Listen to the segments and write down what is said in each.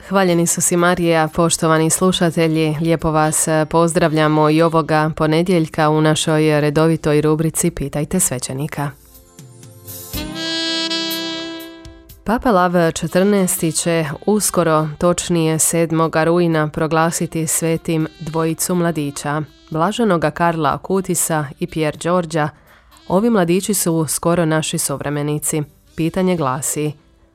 Hvaljeni su si Marija, poštovani slušatelji, lijepo vas pozdravljamo i ovoga ponedjeljka u našoj redovitoj rubrici Pitajte svećenika. Papa Lav XIV će uskoro, točnije 7. rujna, proglasiti svetim dvojicu mladića, blaženoga Karla Akutisa i Pier Đorđa. Ovi mladići su skoro naši suvremenici. Pitanje glasi: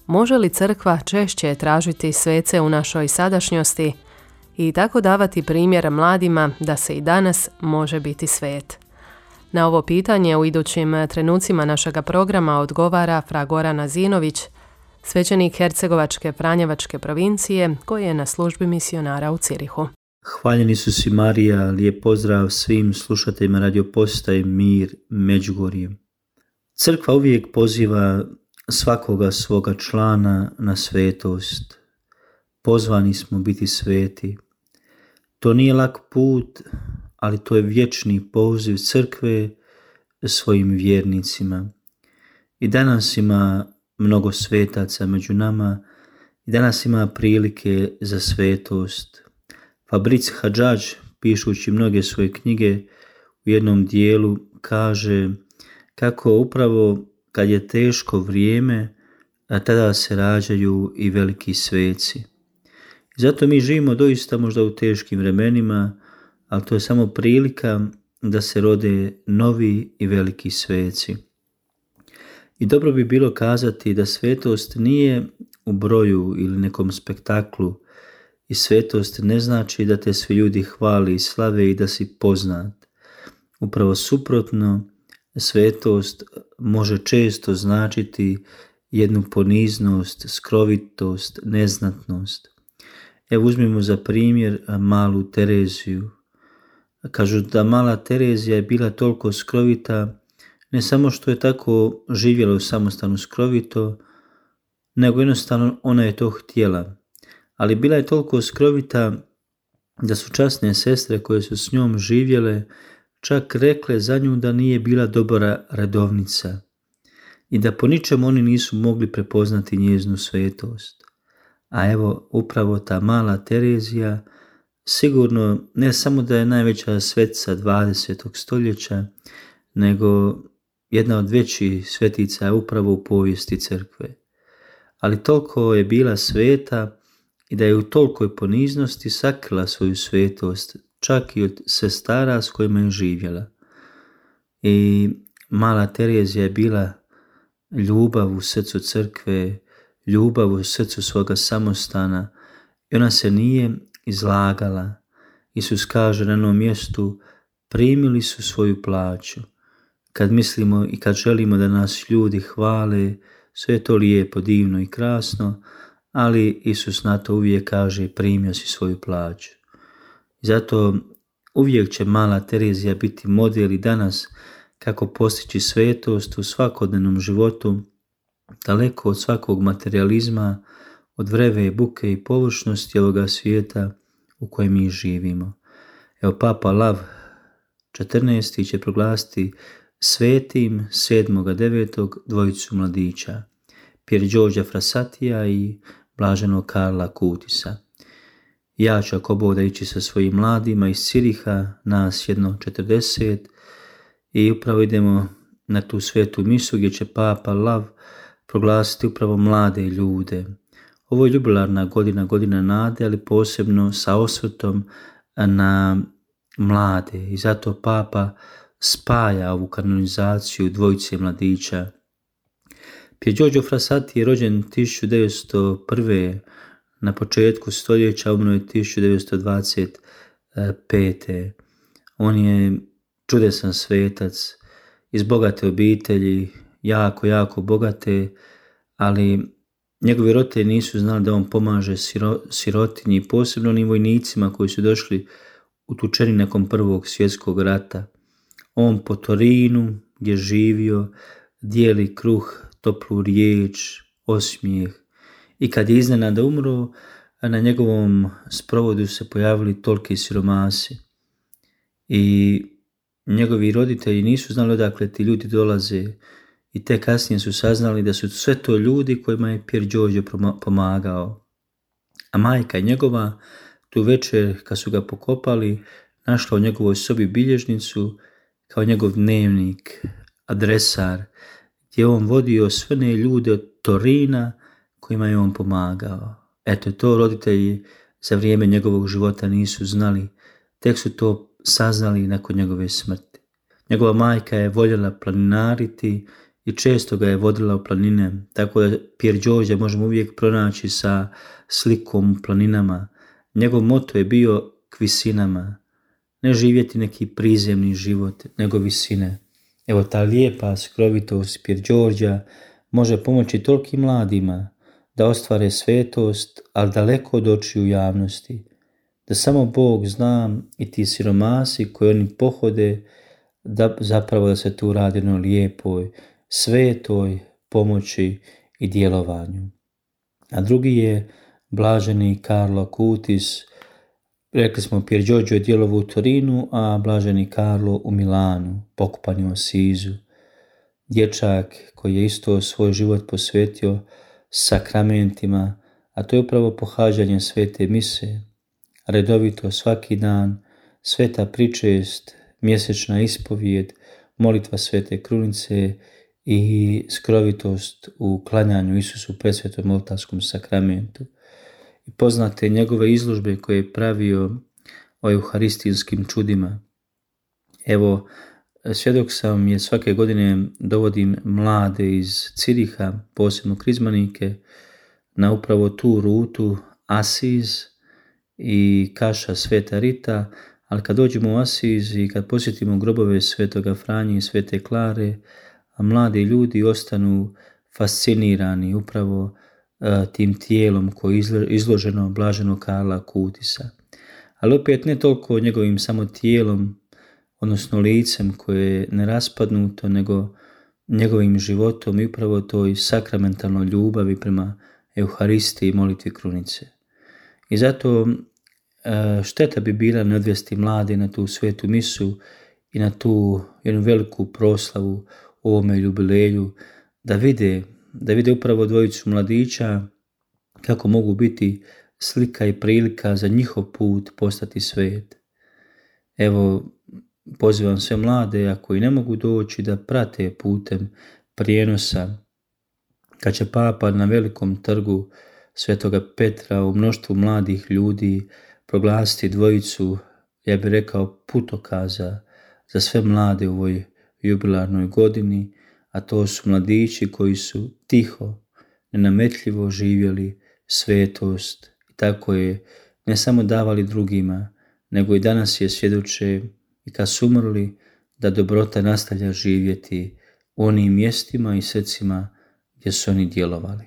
može li crkva češće tražiti svece u našoj sadašnjosti i tako davati primjer mladima da se i danas može biti svet? Na ovo pitanje u idućim trenucima našega programa odgovara fra Goran Azinović, svećenik Hercegovačke Franjevačke provincije koji je na službi misionara u Cirihu. Hvaljeni su si Marija, lijep pozdrav svim slušateljima Radio Postaje Mir Međugorje. Crkva uvijek poziva svakoga svoga člana na svetost. Pozvani smo biti sveti. To nije lak put, ali to je vječni poziv crkve svojim vjernicima. I danas ima mnogo svetaca među nama i danas ima prilike za svetost. Fabric Hadžadž, pišući mnoge svoje knjige, u jednom dijelu kaže kako upravo kad je teško vrijeme, a tada se rađaju i veliki sveci. I zato mi živimo doista možda u teškim vremenima, ali to je samo prilika da se rode novi i veliki sveci. I dobro bi bilo kazati da svetost nije u broju ili nekom spektaklu, i svetost ne znači da te svi ljudi hvali i slave i da si poznat. Upravo suprotno, svetost može često značiti jednu poniznost, skrovitost, neznatnost. Evo uzmimo za primjer malu Tereziju. Kažu da mala Terezija je bila toliko skrovita, ne samo što je tako živjela u samostanu skrovito, nego jednostavno ona je to htjela. Ali bila je toliko skrovita da su časne sestre koje su s njom živjele čak rekle za nju da nije bila dobra redovnica i da po ničemu oni nisu mogli prepoznati njezinu svetost. A evo upravo ta mala Terezija sigurno ne samo da je najveća svetica 20. stoljeća, nego jedna od većih svetica je upravo u povijesti crkve. Ali toliko je bila sveta i da je u tolikoj poniznosti sakrila svoju svetost, čak i od sestara s kojima je živjela. I mala Terezija je bila ljubav u srcu crkve, ljubav u srcu svoga samostana i ona se nije izlagala. Isus kaže na jednom mjestu: primili su svoju plaću. Kad mislimo i kad želimo da nas ljudi hvale, sve je to lijepo, divno i krasno, ali Isus na to uvijek kaže: primio si svoju plaću. Zato uvijek će mala Terezija biti model i danas kako postići svetost u svakodnevnom životu, daleko od svakog materializma, od vreve, buke i površnosti ovoga svijeta u kojem mi živimo. Evo Papa Lav XIV će proglasiti svetim 7.9. dvojicu mladića, Pier Đorđa Frassatija i blaženog Karla Akutisa. Ja ću ako Bog da ići sa svojim mladima iz Ciriha, nas jedno 40, i upravo idemo na tu svetu misu gdje će Papa Lav proglasiti upravo mlade ljude. Ovo je jubilarna godina, godina nade, ali posebno sa osvrtom na mlade, i zato Papa spaja ovu kanonizaciju dvojice mladića. Pier Giorgio Frassati je rođen 1901. na početku stoljeća, umro je 1925. On je čudesan svetac, iz bogate obitelji, jako bogate, ali njegovi roditelji nisu znali da on pomaže sirotinji, posebno onim vojnicima koji su došli utučeni nakon Prvog svjetskog rata. On po Torinu, gdje živio, dijeli kruh, toplu riječ, osmijeh, i kad je iznenada umro, na njegovom sprovodu se pojavili toliki siromasi. I njegovi roditelji nisu znali odakle ti ljudi dolaze, i te kasnije su saznali da su sve to ljudi kojima je Pier Giorgio pomagao. A majka njegova tu večer, kad su ga pokopali, našla u njegovoj sobi bilježnicu kao njegov dnevnik, adresar, gdje je on vodio sve ne ljude od Torina kojima je on pomagao. Eto, to roditelji za vrijeme njegovog života nisu znali, tek su to saznali nakon njegove smrti. Njegova majka je voljela planinariti i često ga je vodila u planine, tako da Pier Giorgio možemo uvijek pronaći sa slikom u planinama. Njegov moto je bio k visinama, ne živjeti neki prizemni život, nego visine. Evo, ta lijepa skrovitost Pier Giorgia može pomoći tolikim mladima da ostvare svetost, ali daleko od očiju javnosti. Da samo Bog zna i ti siromasi koji oni pohode, da zapravo da se tu radi o lijepoj, svetoj pomoći i djelovanju. A drugi je blaženi Carlo Acutis. Rekli smo, Pier Giorgio je djelovao u Torinu, a blaženi Carlo u Milanu, pokopan u Asizu. Dječak koji je isto svoj život posvetio sakramentima, a to je upravo pohađanje svete mise, redovito svaki dan, sveta pričest, mjesečna ispovijed, molitva svete krunice i skrovitost u klanjanju Isusu presvetom oltarskom sakramentu. I poznate njegove izložbe koje je pravio o euharistijskim čudima. Evo, svjedok sam je svake godine dovodim mlade iz Ciriha, posebno krizmanike, na upravo tu rutu Asiz i Kaša Sveta Rita, ali kad dođemo u Asiz i kad posjetimo grobove Svetoga Franje i Svete Klare, a mladi ljudi ostanu fascinirani upravo tim tijelom koje je izloženo blaženog Karla Acutisa. Ali opet ne toliko njegovim samo tijelom, odnosno licem koje je neraspadnuto, nego njegovim životom i upravo toj sakramentalnoj ljubavi prema Euharistiji i molitvi krunice. I zato šteta bi bila ne odvesti mlade na tu svetu misu i na tu jednu veliku proslavu u ovome jubileju, da vide upravo dvojicu mladića kako mogu biti slika i prilika za njihov put postati svet. Evo, pozivam sve mlade, ako i ne mogu doći, da prate putem prijenosa kad će Papa na velikom trgu Svetoga Petra u mnoštvu mladih ljudi proglasiti dvojicu, ja bih rekao, putokaza za sve mlade u ovoj jubilarnoj godini, a to su mladići koji su tiho, nenametljivo živjeli svetost i tako je ne samo davali drugima, nego i danas je svjedoče i kad su umrli da dobrota nastavlja živjeti u onim mjestima i srcima gdje su oni djelovali.